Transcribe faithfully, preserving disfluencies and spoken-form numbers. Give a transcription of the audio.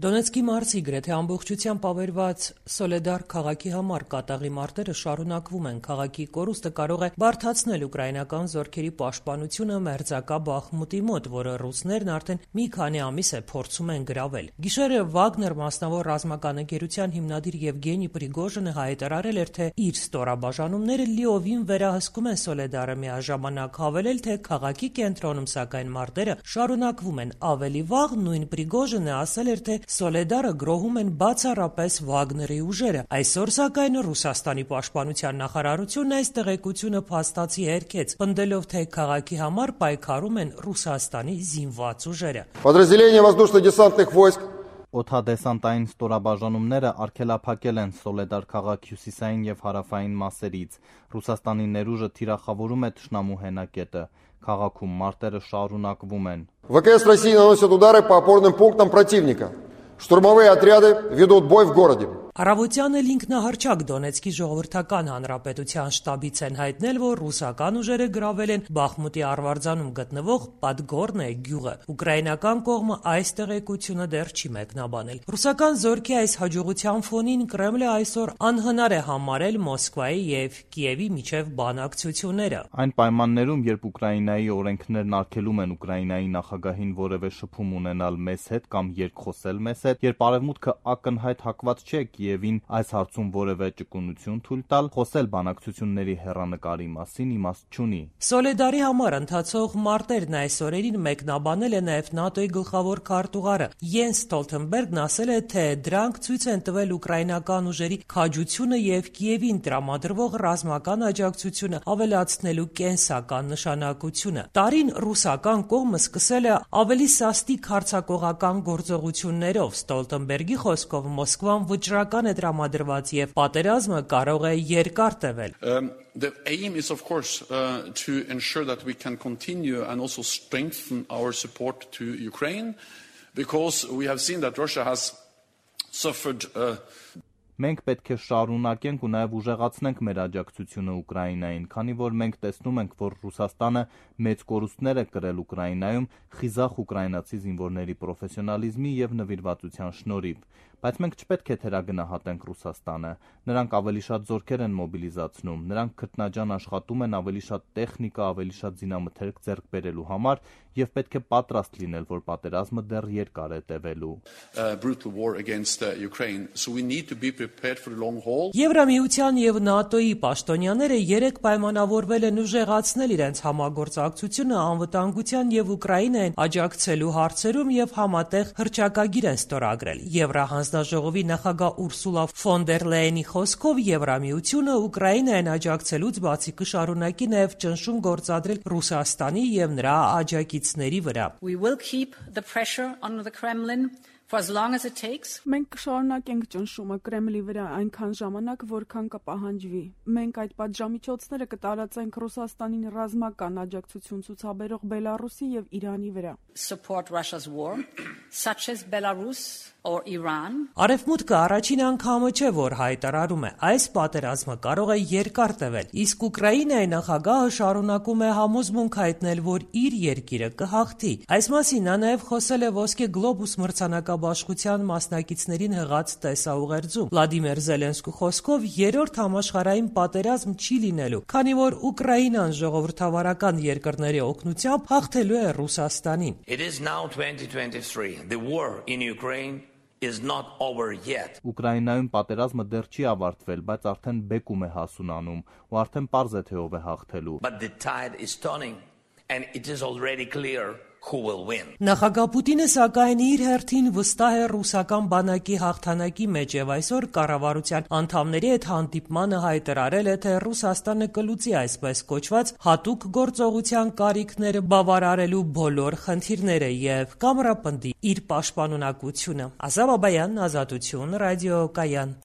Դոնեցկի մարզի գրեթե ամբողջությամբ ավերված Սոլեդար քաղաքի համար կատաղի մարտերը շարունակվում են։ Քաղաքի կորուստը կարող է բարդացնել ուկրաինական զորքերի պաշտպանությունը մերձակա Բախմուտի մոտ, որը ռուսներն արդեն մի քանի ամիս է փորձում են գրավել։ Գիշերը Վագներ մասնավոր ռազմական ընկերության հիմնադիր Եվգենի Պրիգոժինը հայտարարել էր, թե իր ստորաբաժանումները լիովին վերահսկում են Սոլեդարը, միաժամանակ հավելել, թե քաղաքի կենտրոնում սակայն մարտերը շարունակվում են։ Ավելի վաղ նույն Պրիգոժինը ասել էր, թե Սոլեդարը գրոհում են բացառապես Վագների ուժերը։ Այսօր սակայն Ռուսաստանի պաշտպանության նախարարությունն այս տեղեկությունը փաստացի հերքեց, պնդելով, թե քաղաքի համար պայքարում են Ռուսաստանի զինված ուժերը։ Подразделения воздушно-десантных войск Օդադեսանտային ստորաբաժանումները արգելափակել են Սոլեդար քաղաքի հյուսիսային և հարավային մասերից։ Ռուսաստանի ներուժը թիրախավորում է թշնամու հենակետը։ Քաղաքում մարտերը շարունակվում են։ ВКС России наносят удары по опорным пунктам противника. Штурмовые отряды ведут бой в городе. Առավոտյան էլ ինքնահռչակ Դոնեցկի ժողովրդական հանրապետության շտաբից են հայտնել, որ ռուսական ուժերը գրավել են Բախմուտի արվարձանում գտնվող Պատգորնե գյուղը։ Ուկրաինական կողմը այս տեղեկությունը դեռ չի մեկնաբանել։ Ռուսական զորքի այս հաջողության ֆոնին Կրեմլը այսօր անհնար է համարել Մոսկվայի եւ Կիևի միջև բանակցությունները։ Այն պայմաններում, երբ Ուկրաինայի օրենքներն արգելում են Ուկրաինայի նախագահին որևէ շփում ունենալ մեզ հետ կամ երկխոսել մեզ հետ, երբ արևմուտքը ակնհայտ հակված չէ Կիևին այս հարցում որևէ ճկունություն թույլ տալ, խոսել բանակցությունների հեռանկարի մասին իմաստ չունի։ Սոլեդարի համար ընթացող մարտերն այս օրերին մեկնաբանել է նաև ՆԱՏՕ-ի գլխավոր քարտուղարը Յենս Ստոլթենբերգն ասել է, թե դրանք ցույց են տվել ուկրաինական ուժերի քաջությունը եւ Կիևին տրամադրվող ռազմական աջակցությունը ավելացնելու կենսական նշանակությունը։ Տարին ռուսական կողմը սկսել է ավելի սաստիկ հարձակողական գործողություններով։ Ստոլթենբերգի խոսքով Մոսկվան վճռական է տրամադրված եւ պատերազմը կարող է երկար տևել։ The aim is, of course, uh, to ensure that we can continue and also strengthen our support to Ukraine, because we have seen that Russia has suffered. Uh... Մենք պետք է շարունակենք ու նաև ուժեղացնենք մեր աջակցությունը Ուկրաինային, քանի որ մենք տեսնում ենք, որ Ռուսաստանը մեծ կորուստներ է կրել Ուկրաինայում խիզախ ուկրաինացի զինվորների պրոֆեսիոնալիզմի եւ նվիրվածության շնորհիվ։ Բայց մենք չպետք է թերագնահատենք Ռուսաստանը։ Նրանք ավելի շատ զորքեր են մոբիլիզացնում, նրանք քրտնաջան աշխատում են ավելի շատ տեխնիկա, ավելի շատ զինամթերք ձեռք բերելու համար եւ պետք է պատրաստ լինել, որ պատերազմը դեռ երկար է տևելու։ Եվրամիության եւ ՆԱՏՕ-ի պաշտոնյաները երեք պայմանավորվել են ուժեղացնել իրենց համագործակցությունը անվտանգության եւ Ուկրաինային աջակցելու հարցերում եւ համատեղ հռչակագիր են ստորագրել։ Եվրահանձնաժողովի նախագահ Ուրսուլա ֆոն դեր Լեյենի խոսքով Եվրամիությունը Ուկրաինային աջակցելուց բացի կշարունակի նաեւ ճնշում գործադրել Ռուսաստանի եւ նրա աջակիցների վրա։ We will keep the pressure on the Kremlin for as long as it takes. Մենք կշարունակենք ճնշումը Կրեմլի վրա այնքան ժամանակ, որքան կպահանջվի։ Մենք այդ պատժամիջոցները կտարածենք Ռուսաստանին ռազմական աջակցություն ցուցաբերող Բելարուսի եւ Իրանի վրա։ Support Russia's war, such as Belarus or Iran. Արևմուտքը առաջին անգամը չէ, որ հայտարարում է, այս պատերազմը կարող է երկար տևել, իսկ Ուկրաինայի նախագահը շարունակում է համոզմունք հայտնել, որ իր երկիրը կհաղթի։ Այս մասին նա նաև խոսել է Ոսկե գլոբուս մրցանակաբաշխության մասնակիցներին հղած տեսաուղերձում։ Վլադիմիր Զելենսկու խոսքով երրորդ համաշխարհային պատերազմ չի լինելու, քանի որ Ուկրաինան ժողովրդավարական երկրների օգնությամբ հաղթելու է Ռուսաստանին։ It is now twenty twenty-three. The war in Ukraine is not over yet. Ուկրաինայում պատերազմը դեռ չի ավարտվել, բայց արդեն բեկում է հասունանում, ու արդեն պարզ է թե ով է հաղթելու։ But the tide is turning and it is already clear who will win. Նախագահ Պուտինը սակայն իր հերթին վստահ է ռուսական բանակի հաղթանակի մեջ եւ այսօր կառավարության անդամների հետ հանդիպմանը հայտարարել է, թե Ռուսաստանը կլուծի այսպես կոչված հատուկ գործողության կարիքները բավարարելու բոլոր խնդիրները եւ կամրապնդի իր պաշտպանունակությունը։ Ազատ Բաբայան, Ազատություն, ռադիո Կայան։